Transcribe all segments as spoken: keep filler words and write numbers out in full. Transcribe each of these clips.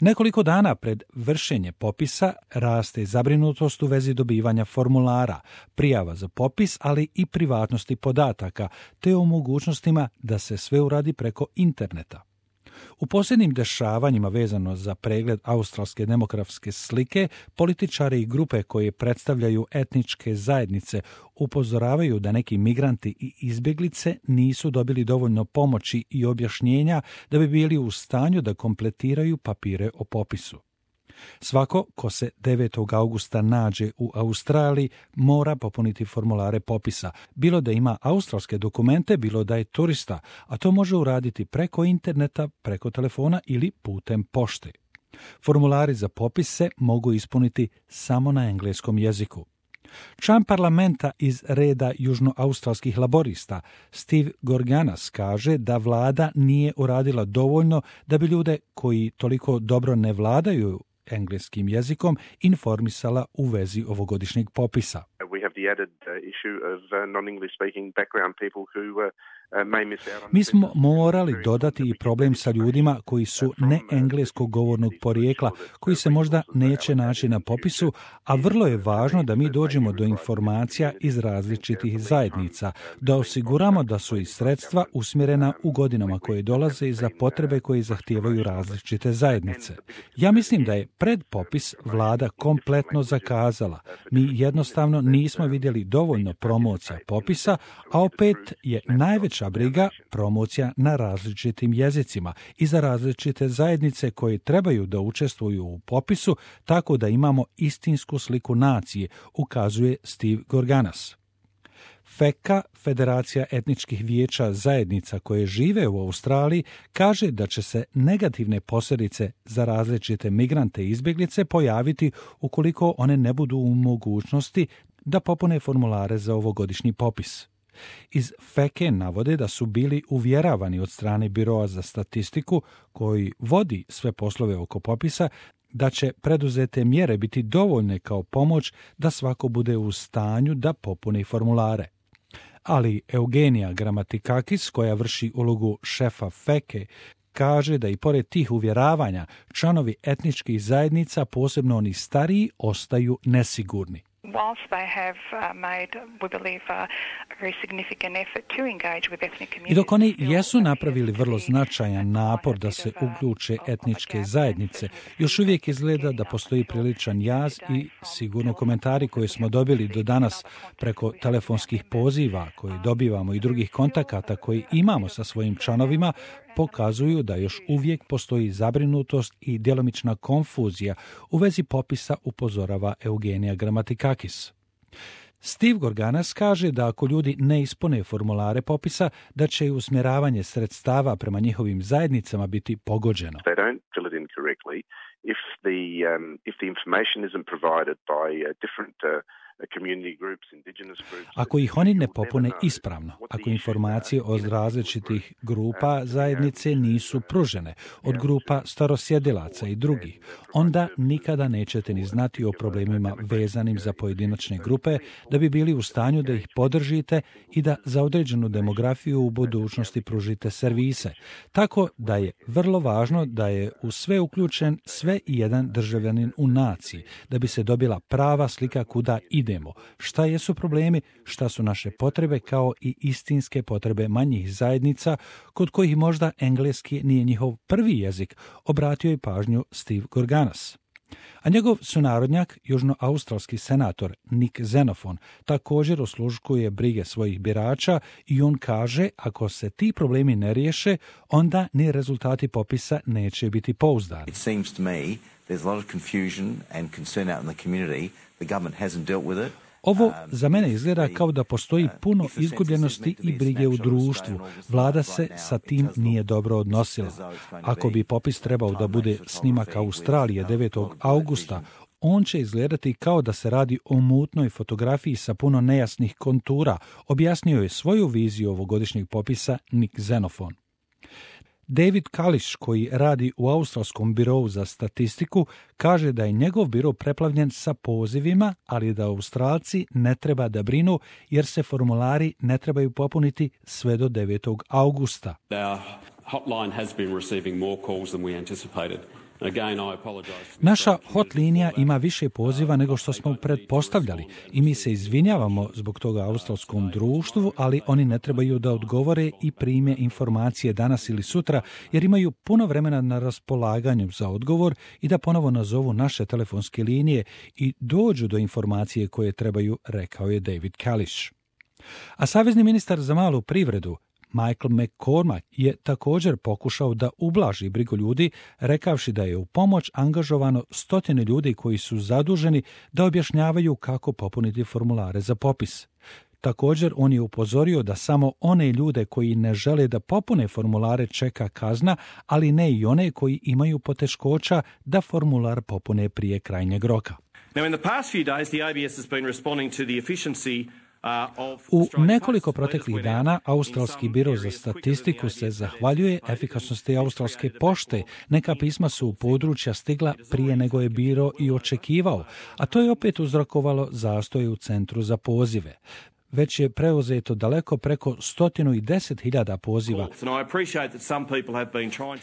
Nekoliko dana pred vršenje popisa raste zabrinutost u vezi dobivanja formulara, prijava za popis, ali i privatnosti podataka, te o mogućnostima da se sve uradi preko interneta. U posljednjim dešavanjima vezano za pregled australske demografske slike, političari i grupe koje predstavljaju etničke zajednice upozoravaju da neki migranti i izbjeglice nisu dobili dovoljno pomoći i objašnjenja da bi bili u stanju da kompletiraju papire o popisu. Svako ko se devetog augusta nađe u Australiji mora popuniti formulare popisa, bilo da ima australske dokumente, bilo da je turista, a to može uraditi preko interneta, preko telefona ili putem pošte. Formulari za popis se mogu ispuniti samo na engleskom jeziku. Član parlamenta iz reda južnoaustralskih laborista Steve Gorganas kaže da vlada nije uradila dovoljno da bi ljude koji toliko dobro ne vladaju engleskim jezikom informisala u vezi ovogodišnjeg popisa. We have the added uh, issue of uh, non-English speaking background people who uh, Mi smo morali dodati i problem sa ljudima koji su ne engleskog govornog porijekla, koji se možda neće naći na popisu, a vrlo je važno da mi dođemo do informacija iz različitih zajednica, da osiguramo da su i sredstva usmjerena u godinama koje dolaze i za potrebe koje zahtijevaju različite zajednice. Ja mislim da je pred popis vlada kompletno zakazala. Mi jednostavno nismo vidjeli dovoljno promocija popisa, a opet je najveća briga promocija na različitim jezicima i za različite zajednice koje trebaju da učestvuju u popisu, tako da imamo istinsku sliku nacije, ukazuje Steve Gorganas. FECA, Federacija etničkih vijeća zajednica koje žive u Australiji, kaže da će se negativne posljedice za različite migrante i izbjeglice pojaviti ukoliko one ne budu u mogućnosti da popune formulare za ovogodišnji popis. Iz FECE navode da su bili uvjeravani od strane Biroa za statistiku, koji vodi sve poslove oko popisa, da će preduzete mjere biti dovoljne kao pomoć da svako bude u stanju da popuni formulare. Ali Eugenija Gramatikakis, koja vrši ulogu šefa FECE, kaže da i pored tih uvjeravanja članovi etničkih zajednica, posebno oni stariji, ostaju nesigurni. Whilst they have uh, made, we believe, uh, a very significant effort to engage with ethnic communities. I dok oni jesu napravili vrlo značajan napor da se uključe etničke zajednice, još uvijek izgleda da postoji priličan jaz i sigurno komentari koje smo dobili do danas preko telefonskih poziva koje dobivamo i drugih kontakata koje imamo sa svojim članovima pokazuju da još uvijek postoji zabrinutost i djelomična konfuzija u vezi popisa, upozorava Eugenija Gramatikakis. Steve Gorganas kaže da ako ljudi ne ispune formulare popisa, da će i usmjeravanje sredstava prema njihovim zajednicama biti pogođeno. If the, um, if the information isn't provided by uh, different uh, Ako ih oni ne popune ispravno, ako informacije od različitih grupa zajednice nisu pružene, od grupa starosjedilaca i drugih, onda nikada nećete ni znati o problemima vezanim za pojedinačne grupe, da bi bili u stanju da ih podržite i da za određenu demografiju u budućnosti pružite servise. Tako da je vrlo važno da je u sve uključen sve i jedan državljanin u naciji, da bi se dobila prava slika kuda ide. Idemo. Šta jesu problemi, šta su naše potrebe, kao i istinske potrebe manjih zajednica, kod kojih možda engleski nije njihov prvi jezik, obratio je pažnju Steve Gorganas. A njegov sunarodnjak, južnoaustralski senator Nick Xenophon, također osluškuje brige svojih birača i on kaže, ako se ti problemi ne riješe, onda ni rezultati popisa neće biti pouzdani. It seems to me there's a lot of confusion and concern out in the community. The government hasn't dealt with it. Ovo za mene izgleda kao da postoji puno izgubljenosti i brige u društvu. Vlada se sa tim nije dobro odnosila. Ako bi popis trebao da bude snimak Australije devetog augusta, on će izgledati kao da se radi o mutnoj fotografiji sa puno nejasnih kontura, objasnio je svoju viziju ovogodišnjeg popisa Nick Xenophon. David Kališ, koji radi u Australskom birou za statistiku, kaže da je njegov biro preplavljen sa pozivima, ali da Australci ne treba da brinu jer se formulari ne trebaju popuniti sve do devetog augusta. Our hotline has been receiving more calls than we anticipated. Naša hot linija ima više poziva nego što smo pretpostavljali i mi se izvinjavamo zbog toga australskom društvu, ali oni ne trebaju da odgovore i prime informacije danas ili sutra jer imaju puno vremena na raspolaganju za odgovor i da ponovo nazovu naše telefonske linije i dođu do informacije koje trebaju, rekao je David Kalish. A savezni ministar za malu privredu Michael McCormack je također pokušao da ublaži brigu ljudi, rekavši da je u pomoć angažovano stotine ljudi koji su zaduženi da objašnjavaju kako popuniti formulare za popis. Također, on je upozorio da samo one ljude koji ne žele da popune formulare čeka kazna, ali ne i one koji imaju poteškoća da formular popune prije krajnjeg roka. Now, in the past few days, the A B S has been responding to the efficiency U nekoliko proteklih dana Australski biro za statistiku se zahvaljuje efikasnosti australske pošte. Neka pisma su u područja stigla prije nego je biro i očekivao, a to je opet uzrokovalo zastoje u centru za pozive. Već je preuzeto daleko preko sto deset hiljada poziva.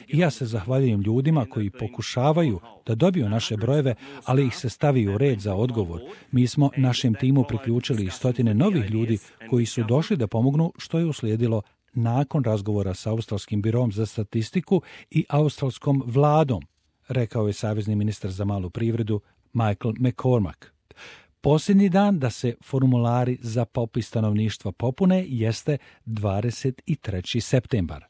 I ja se zahvaljujem ljudima koji pokušavaju da dobiju naše brojeve, ali ih se stavi u red za odgovor. Mi smo našem timu priključili stotine novih ljudi koji su došli da pomognu, što je uslijedilo nakon razgovora sa Australskim birom za statistiku i australskom vladom, rekao je savezni ministar za malu privredu Michael McCormack. Posljednji dan da se formulari za popis stanovništva popune jeste dvadeset treći septembar.